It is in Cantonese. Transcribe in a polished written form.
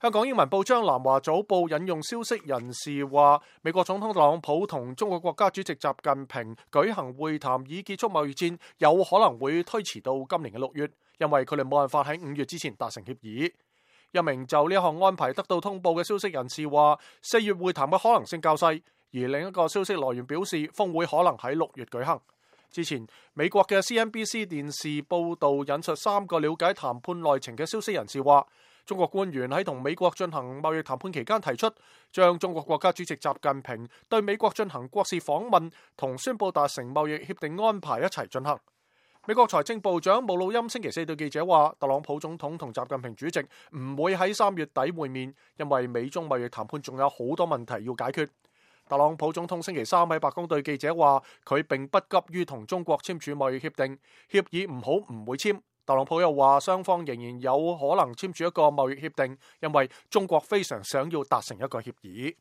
香港英文報章南華早報引用消息人士話，美國總統特朗普同中國國家主席習近平舉行會談以結束貿易戰，有可能會推遲到今年嘅6月，因為佢哋冇辦法喺5月之前達成協議。一名就呢一項安排得到通報嘅消息人士話，4月會談嘅可能性較細，而另一個消息來源表示，峰會可能喺6月舉行。之前美國嘅 CNBC 電視報道引述3個了解談判內情嘅消息人士話，中國官員喺同美國進行貿易談判期間提出，將中國國家主席習近平對美國進行國事訪問同宣布達成貿易協定安排一齊進行。美國財政部長姆努欽星期4對記者話，特朗普總統同習近平主席唔會喺3月底會面，因為美中貿易談判仲有好多問題要解決。特朗普總統星期3喺白宮對記者話，佢並不急於同中國簽署貿易協定，協議唔好唔會簽。特朗普又話，雙方仍然有可能簽署一個貿易協定，因為中國非常想要達成一個協議。